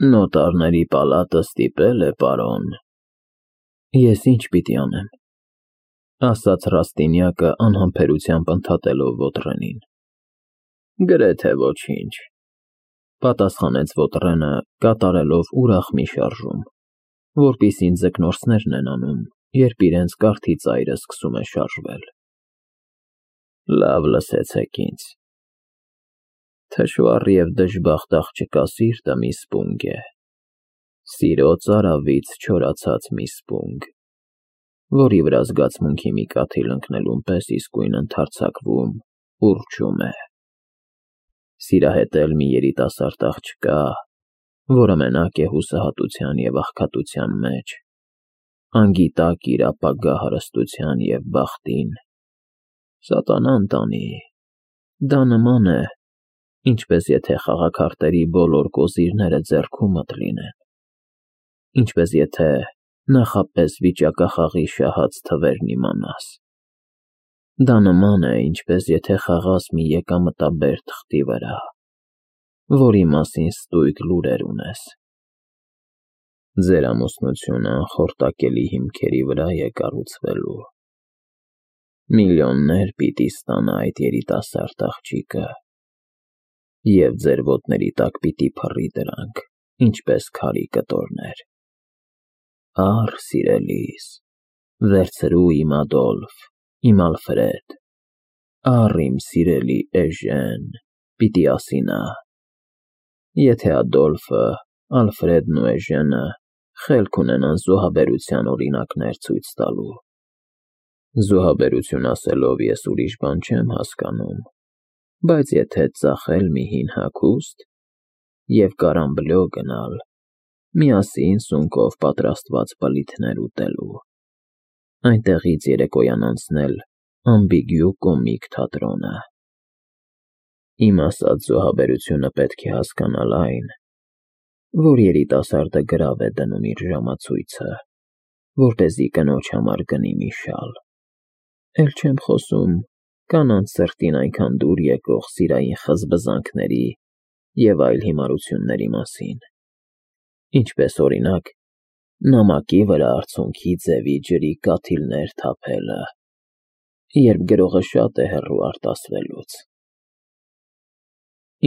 Նոտարների պալատը ստիպել է, պարոն։ Ես ինչ պիտի անեմ, ասաց Ռաստինյակը անհամբերությամբ ընդհատելով Ոտրենին։ Գրեթե ոչինչ, պատասխանեց Ոտրենը, կատարելով ուրախ մի շարժում, որպիսին ձկնորսներն են անում, երբ իրենց կարթի ծայրը սկսում է շարժվել։ Լավ լսեցեք ինձ։ Թշվառ և դժբախտ աղջկա սիրտը մի սպունգ է, սիրո ծարավից չորացած մի սպունգ, որի վրա զգացմունքի մի կաթիլ ընկնելուն պես իսկույն ընդարձակվում, ուռչում է։ Սիրահետել մի երիտասարդ աղջկա, որը մենակ է հուսահատության և աղքատության մեջ, անգիտակ իր ապագա հարստության և բախտին, սատանան տանի, դա նման է, ինչպես եթե խաղաքարտերի բոլոր կոզիրները ձեռքումդ լինեն, ինչպես եթե նախապես վիճակախաղի շահած թվերն իմանաս, դա նման է, ինչպես եթե խաղաս մի եկամտաբեր թղթի վրա, որի մասին ստույգ լուրեր ունես։ Ձեր ամուսնությունը անխորտակելի հիմքերի վրա է կառուցվելու։ Միլիոններ պիտի ստանա այդ երիտասարդ աղջիկը, և ձեր ոտների տակ պիտի փռի դրանք, ինչպես քարի կտորներ։ Առ, սիրելիս, վերցրու իմ Ադոլֆ, իմ Ալֆրեդ, առ իմ սիրելի Էժեն, պիտի ասի նա, եթե Ադոլֆը, Ալֆրեդն ու Էժենը խելք ունենան զոհաբերության օրինակներ ցույց տալու։ Զոհաբերություն ասելով ես ուրիշ բան չեմ հասկանում, բայց եթե ծախել մի հին հագուստ և կարամբլո գնալ, միասին սունկով պատրաստված բլիթներ ուտելու, այնտեղից երեկոյան անցնել ամբիգյու կոմիկ թատրոնը։ Իմ ասած զոհաբերությունը պետք է հասկանալ այն, որ երիտասարդը գրավ է դնում իր ժամացույցը, որպեսզի կնոջ համար գնի մի շալ, էլ չեմ խոսում կանանց սրտին այնքան դուր եկող սիրային խզբզանքների և այլ հիմարությունների մասին, ինչպես օրինակ նամակի վրա արցունքի ձևի ջրի կաթիլներ թափելը, երբ գրողը շատ է հեռու արտասվելուց։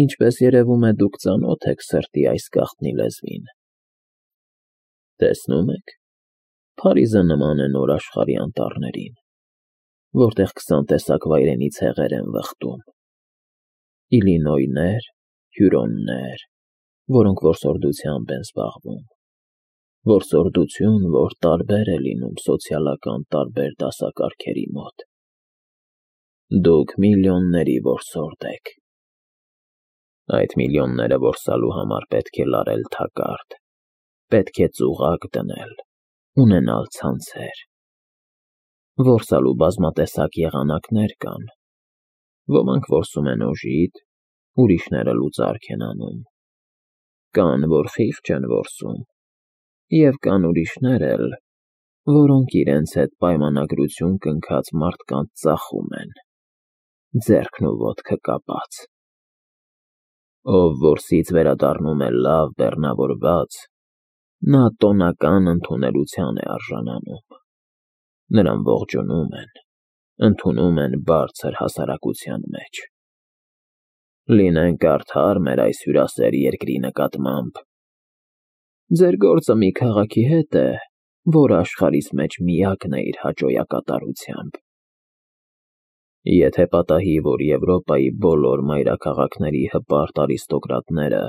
Ինչպես երևում է, դուք ծանոթ եք սրտի այս գաղտնի լեզվին։ Տեսնում եք, Փարիզը նման է նոր աշխարհի անտառներին, որտեղ 20 տեսակ վայրենի ցեղեր են վխտում. Իլինոյներ, Հյուրոններ, որոնք որսորդությամբ են զբաղվում, որսորդություն, որ տարբեր է լինում սոցիալական տարբեր դասակարգերի մոտ։ Դուք միլիոնների որսորդ եք։ Այդ միլիոնները որսալու համար պետք է լարել թակարդ, պետք է ծուղակ դնել, ունենալ ցանցեր։ Որսալու բազմատեսակ եղանակներ կան, ոմանք որսում են օժիտ, ուրիշները լուծարք են անում, կան, որ խիղճ են որսում, և կան ուրիշներ էլ, որոնք իրենց հետ պայմանագրություն կնքած մարդկանց ծախում են, ձեռքն ու ոտքը կապած։ Ով որսից վերադառնում է լավ բեռնավորված, նա տոնական ընդունելության է արժանանում, նրան ողջունում են, ընդունում են բարձր հասարակության մեջ։ Լինենք արդար մեր այս հյուրասեր երկրի նկատմամբ։ Ձեր գործը մի քաղաքի հետ է, որը աշխարհիս մեջ միակն է իր հաճոյակատարությամբ։ Եթե պատահի, որ Եվրոպայի բոլոր մայրաքաղաքների հպարտ արիստոկրատները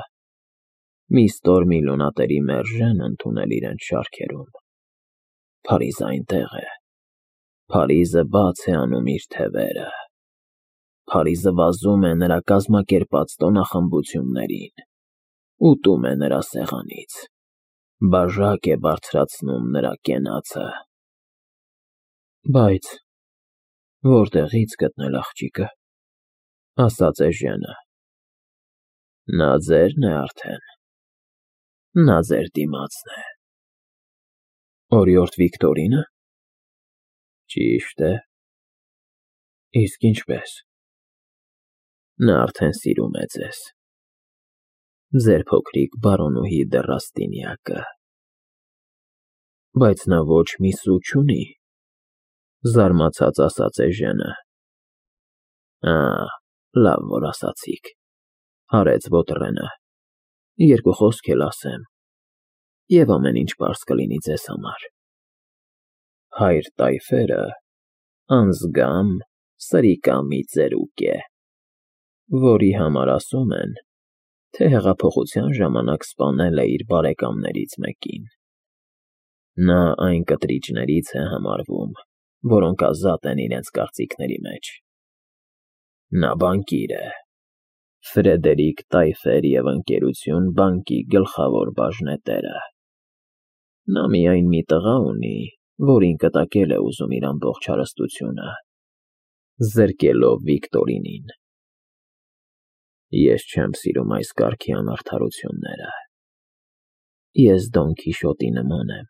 մի ստոր միլիոնատերի մերժեն ընդունել իրենց շարքերում, Փարիզը այնտեղ է, Փարիզը բաց է անում իր թևերը, Փարիզը վազում է նրա կազմակերպած տոնախմբություններին, ուտում է նրա սեղանից, բաժակ է բարձրացնում նրա կենացը։ Բայց որտեղի՞ց գտնել աղջիկը, ասաց Էժենը։ Նա ձերն է արդեն, նա ձեր դիմացն է։ Օրիորդ Վիկտորինը։ Ճիշտ է։ Իսկ ինչպես։ Նա արդեն սիրում է ձեզ։ Ձեր փոքրիկ բարոնուհի Դեռաստինյակը։ Բայց նա ոչ մի սու չունի, զարմացած ասաց Էժենը։ Լավ որ ասացիք, հարեց Բոտրենը, երկու խոսք էլ ասեմ, և ամեն ինչ պարզ կլինի ձեզ համար։ Հայր Տայֆերը անզգամ սրիկամի ծերուկ է, որի համար ասում են, թե հեղափոխության ժամանակ սպանել է իր բարեկամներից մեկին։ Նա այն կտրիճներից է համարվում, որոնք ազատ են իրենց կարծիքների մեջ։ Նա բանկիր է, Ֆրեդերիկ Տայֆեր և Ընկերություն բանկի գլխավոր բաժնետերը։ Նա միայն մի տղա ունի, որին կտակել է ուզում իր ամբողջ հարստությունը, զրկելով Վիկտորինին։ Ես չեմ սիրում այս կարգի անարդարությունները։ Ես Դոն Քիշոտի նման եմ,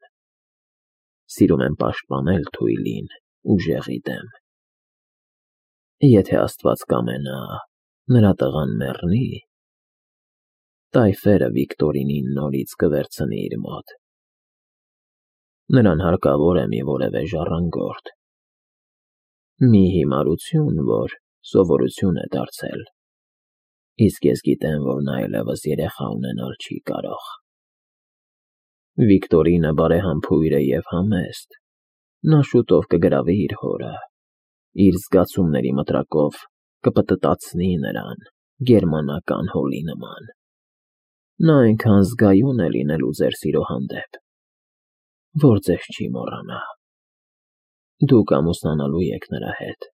սիրում եմ պաշտպանել թույլին ուժեղի դեմ։ Եթե Աստված կամենա, նրա տղան մեռնի, Տայֆերը Վիկտորինին նորից կվերցնի իր մոտ։ Նրան հարկավոր է մի որևէ ժառանգորդ, մի հիմարություն, որ սովորություն է դարձել, իսկ ես գիտեմ, որ նա այլևս երեխա ունենալ չի կարող։ Վիկտորինը բարեհամբույր է և համեստ, նա շուտով կգրավի իր հորը, իր զգացումների մտրակով կպտտացնի նրան գերմանական հոլի նման։ Նա այնքան զգայուն է լինելու ձեր սիրո հանդեպ, որ ձեզ չի մոռանա։ Դուք ամուսնանալու եք նրա հետ։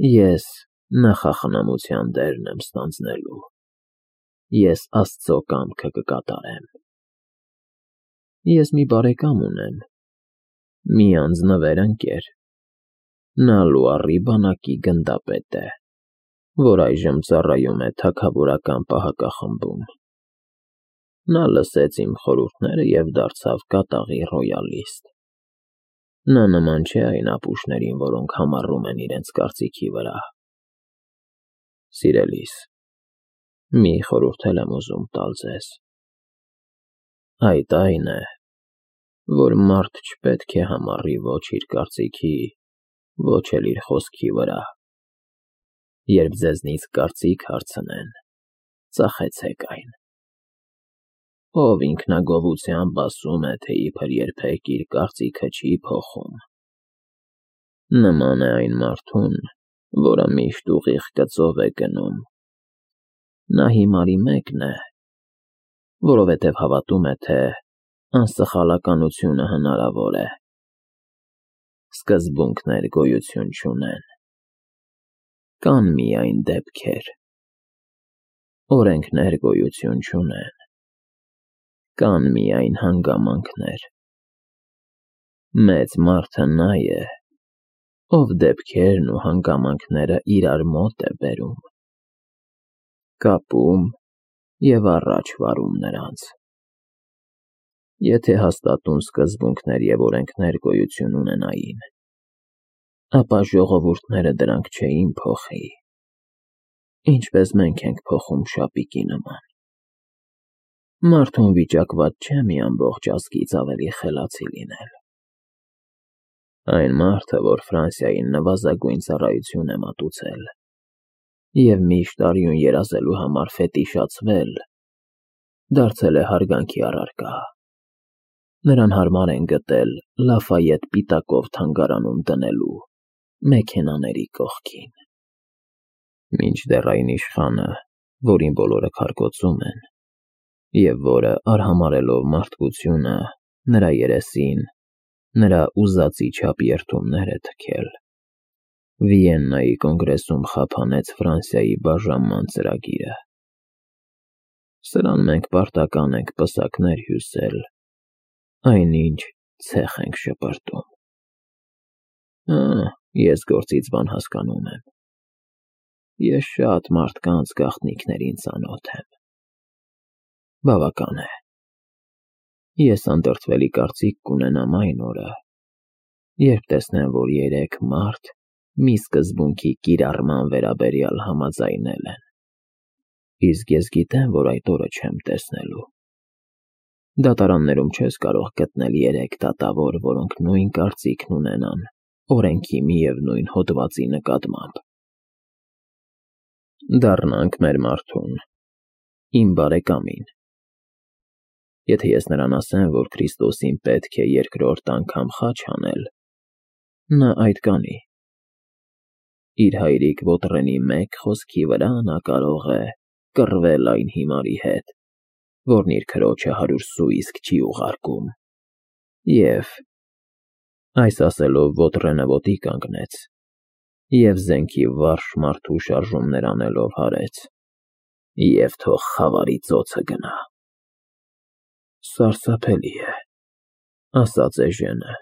Ես նախախնամության դերն եմ ստանձնելու։ Ես Աստծո կամքը կկատարեմ։ Ես մի բարեկամ ունեմ, մի անձնվեր ընկեր։ Նա Լուարի բանակի գնդապետ է, որ այժմ ծառայում է թագավորական պահակախմբում։ Նա լսեց իմ խորհուրդները և դարձավ կատաղի ռոյալիստ։ Նա նման չէ այն ապուշներին, որոնք համառում են իրենց կարծիքի վրա։ Սիրելիս, մի խորհուրդ էլ եմ ուզում տալ ձեզ։ Այդ այն է, որ մարդ չպետք է համառի ոչ իր կարծիքի, ոչ էլ իր խոսքի վրա։ Երբ ձեզնից կարծիք հարցնեն, ծախեցեք այն։ Ով ինքնագովությամբ ասում է, թե իբր երբեք իր կարծիքը չի փոխում, նման է այն մարդուն, որը միշտ ուղիղ գծով է գնում։ Նա հիմարի մեկն է, որովհետև հավատում է, թե անսխալականությունը հնարավոր է։ Սկզբունքներ գոյություն չունեն։ Կան միայն դեպքեր։ Օրենքներ գոյություն չունեն։ Կան միայն հանգամանքներ։ Մեծ մարդը նա է, ով դեպքերն ու հանգամանքները իրար մոտ է բերում, կապում և առաջ վարում նրանց։ Եթե հաստատուն սկզբունքներ և օրենքներ գոյություն ունենային, ապա ժողովուրդները դրանք չէին փոխի, ինչպես մենք ենք փոխում շապիկի նման։ Մարդուն վիճակված չէ մի ամբողջ ազգից ավելի խելացի լինել։ Այն մարդը, որ Ֆրանսիային նվազագույն ծառայություն է մատուցել և միշտ արյուն երազելու համար ֆետիշացվել, դարձել է հարգանքի առարկա։ Նրան հարմար են գտել Լաֆայետ պիտակով թանգարանում դնելու մեքենաների կողքին։ Մինչդեռ այն իշխանը, որին բոլորը քարկոծում են, և որը արհամարհելով մարդկությունը, նրա երեսին, նրա ուզածի չափ երդումներ է թքել, Վիեննայի կոնգրեսում խափանեց Ֆրանսիայի բաժանման ծրագիրը։ Սրան մենք պարտական ենք պսակներ հյուսել, այնինչ ցեխ ենք շպրտում։ Ես գործից բան հասկանում եմ։ Ես շատ մարդկանց գաղտնիքներին ծանոթ եմ։ Բավական է։ Ես անդրդվելի կարծիք կունենամ այն օրը, երբ տեսնեմ, որ երեք մարդ մի սկզբունքի կիրառման վերաբերյալ համաձայնել են։ Իսկ ես գիտեմ, որ այդ օրը չեմ տեսնելու։ Դատարաններում չես կարող գտնել 3 դատավոր, որոնք նույն կարծիքն ունենան օրենքի միևնույն հոդվածի նկատմամբ։ Դառնանք մեր մարդուն, իմ բարեկամին։ Եթե ես նրան ասեմ, որ Քրիստոսին պետք է երկրորդ անգամ խաչ անել, նա այդ կանի։ Իր հայրիկ Ոտրենի մեկ խոսքի վրա նա կարող է կռվել այն հիմարի հետ, որն իր քրոջը 100 սուիսկ չի ուղարկում, և այս ասելով Ոտրենը ոտի կանգնեց և զենքի վարժ մարդու շարժումներ անելով հարեց. և թող խավարի ծոցը գնա։ Սարսափելի է, ասաց Էժենը,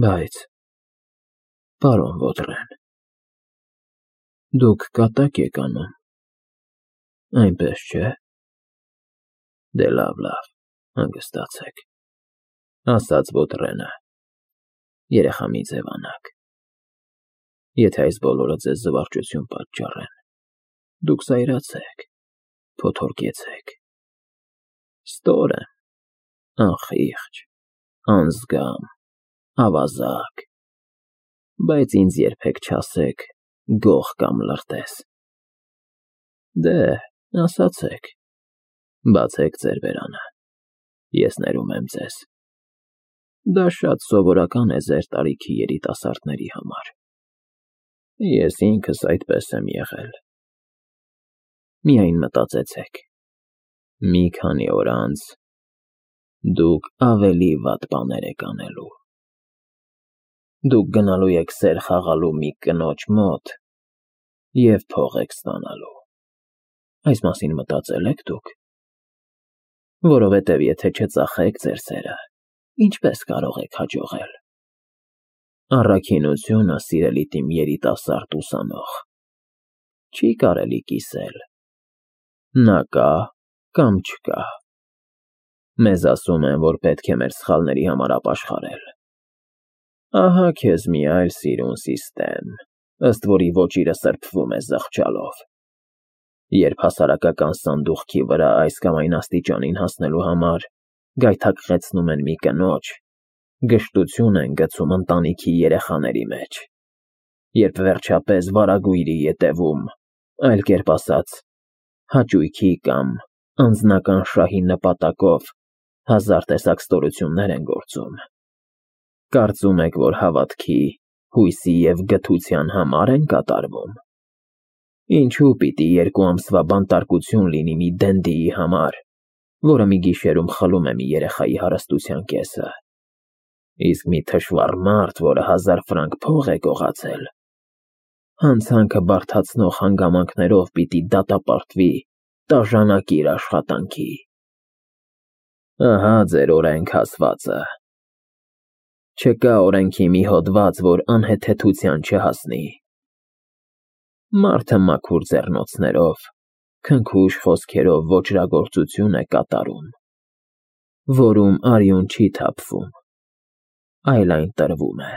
բայց, պարոն Ոտրեն, դուք կատակ եք անում, այնպես չէ՞։ Դե լավ, հանգստացեք, ասաց Ոտրենը, երեխա մի ձևանաք։ Եթե այս բոլորը ձեզ զվարճություն պատճառեն, դուք զայրացեք, փոթորկեցեք։ Ստոր եմ, անխիղճ, անզգամ, ավազակ, բայց ինձ երբեք չասեք գող կամ լրտես։ Դե, ասացեք, բացեք ձեր բերանը, ես ներում եմ ձեզ։ Դա շատ սովորական է ձեր տարիքի երիտասարդների համար։ Ես ինքս այդպես եմ եղել։ Միայն մտածեցեք, մի քանի օր անց դուք ավելի վատ բաներ եք անելու։ Դուք գնալու եք սեր խաղալու մի կնոջ մոտ և փող եք ստանալու։ Այս մասին մտածել եք դուք։ Որովհետև եթե չծախեք ձեր սերը, ինչպես կարող եք հաջողել։ Առաքինությունը, սիրելի իմ երիտասարդ ուսանող, չի կարելի կիսել։ Նա կա կամ չկա։ Մեզ ասում են, որ պետք է մեր սխալների համար ապաշխարել։ Ահա քեզ մի այլ սիրուն սիստեմ, ըստ որի ոճիրը սրբվում է զղջալով։ Երբ հասարակական սանդուղքի վրա այս կամ այն աստիճանին հասնելու համար գայթակղեցնում են մի կնոջ, գժտություն են գցում ընտանիքի երեխաների մեջ, երբ վերջապես վարագույրի ետևում, այլ կերպ ասած, հաճույքի կամ անձնական շահի նպատակով հազար տեսակ ստորություններ են գործում, կարծում եք, որ հավատքի, հույսի և գթության համար են կատարվում։ Ինչու պիտի 2 ամսվա բանտարկություն լինի մի դենդիի համար, որը մի գիշերում խլում է մի երեխայի հարստության կեսը, իսկ մի թշվառ մարդ, որը 1000 ֆրանկ փող է գողացել, հանցանքը բարդացնող հանգամանքներով պիտի դատապարտվի տաժանակիր աշխատանքի։ Ահա ձեր օրենք ասվածը։ Չկա օրենքի մի հոդված, որ անհեթեթության չհասնի։ Մարդը մաքուր ձեռնոցներով, քնքուշ խոսքերով ոճրագործություն է կատարում, որում արյուն չի թափվում, այլ այն տրվում է։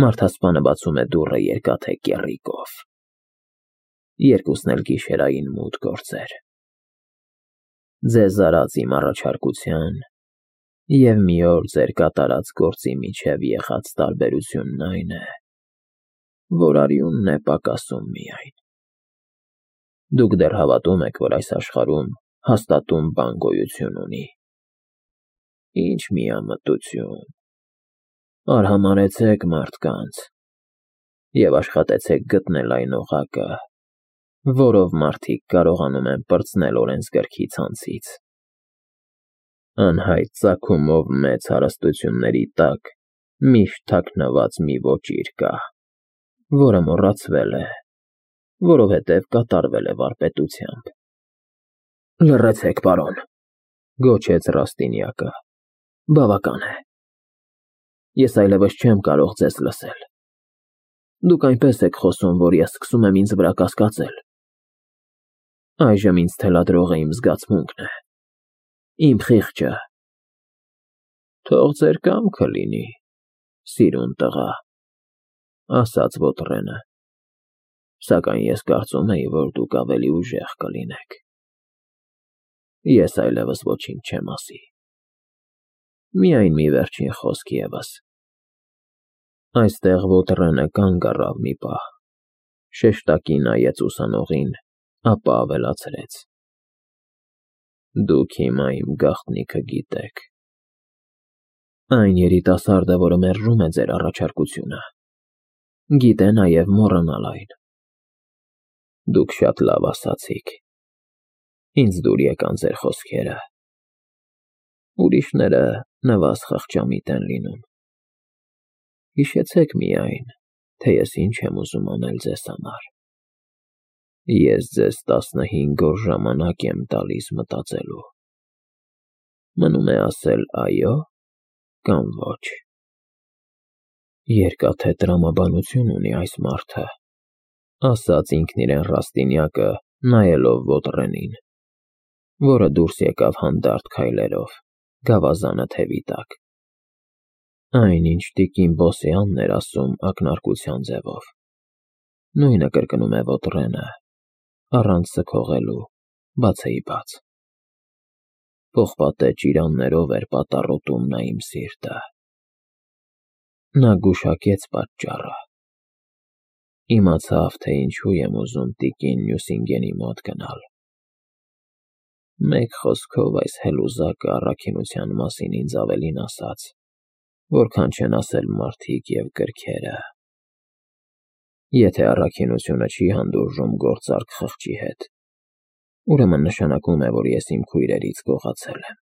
Մարդասպանը բացում է դուռը երկաթե կեռիկով։ Երկուսն էլ գիշերային մութ գործեր։ Ձեզ արած իմ առաջարկության և մի օր ձեր կատարած գործի միջև եղած տարբերությունն այն է, որ արյունն է պակասում միայն։ Դուք դեռ հավատում եք, որ այս աշխարհում հաստատուն բան գոյություն ունի։ Ինչ միամտություն։ Արհամարհեցեք մարդկանց և աշխատեցեք գտնել այն օղակը, որով մարդիկ կարողանում են պրծնել օրենսգրքի ցանցից։ Անհայտ ծագումով մեծ հարստությունների տակ միշտ թաքնված մի ոճիր կա, որը մոռացվել է, որովհետև կատարվել է վարպետությամբ։ Լռեցեք, պարոն, գոչեց Ռաստինյակը, բավական է։ Ես այլևս չեմ կարող ձեզ լսել։ Դուք այնպես եք խոսում, որ ես սկսում եմ ինձ վրա կասկածել։ Այժմ ինձ թելադրող է իմ զգացմունքն է, իմ խիղճը։ Թող ձեր կամքը լինի, սիրուն տղա, ասաց Ոտրենը։ Սակայն ես կարծում էի, որ դուք ավելի ուժեղ կլինեք։ Ես այլևս ոչինչ չեմ ասի։ Միայն մի վերջին խոսք ևս։ Այստեղ Ոտրենը կանգ առավ մի պահ, շեշտակի նայեց ուսանողին, ապա ավելացրեց. Դուք հիմա իմ գաղտնիքը գիտեք։ Այն երիտասարդը, որը մերժում է ձեր առաջարկությունը, գիտե նաև մոռանալ այն։ Դուք շատ լավ ասացիք։ Ինձ դուր եկան ձեր խոսքերը։ Ուրիշները նվազ խղճամիտ են լինում։ Հիշեցեք միայն, թե ես ինչ եմ ուզում անել ձեզ համար։ Ես ձեզ 15 օր ժամանակ եմ տալիս մտածելու։ Մնում է ասել այո կամ ոչ։ Երկաթե տրամաբանություն ունի այս մարդը, ասաց ինքն իրեն Ռաստինյակը, նայելով Ոտրենին, որը դուրս եկավ հանդարտ քայլերով, գավազանը թևի տակ։ Այնինչ տիկին Բոսյանն էր ասում ակնարկության ձևով։ Նույնը կրկնում է Ոտրենը, առանց սգողելու, բացեի բաց։ Պողպատե ճիրաններով էր պատառոտում նա իմ սիրտը։ Նա գուշակեց պատճառը։ Իմացավ, թե ինչու եմ ուզում տիկին Նյուսինգենի մոտ գնալ։ Մեկ խոսքով այս հելուզակը առաքինության մասին ինձ ավելին ասաց, որքան չեն ասել մարդիկ և գրքերը։ Եթե առաքինությունը չի հանդուրժում գործարք խղճի հետ, ուրեմն նշանակում է, որ ես իմ քույրերից գողացել եմ։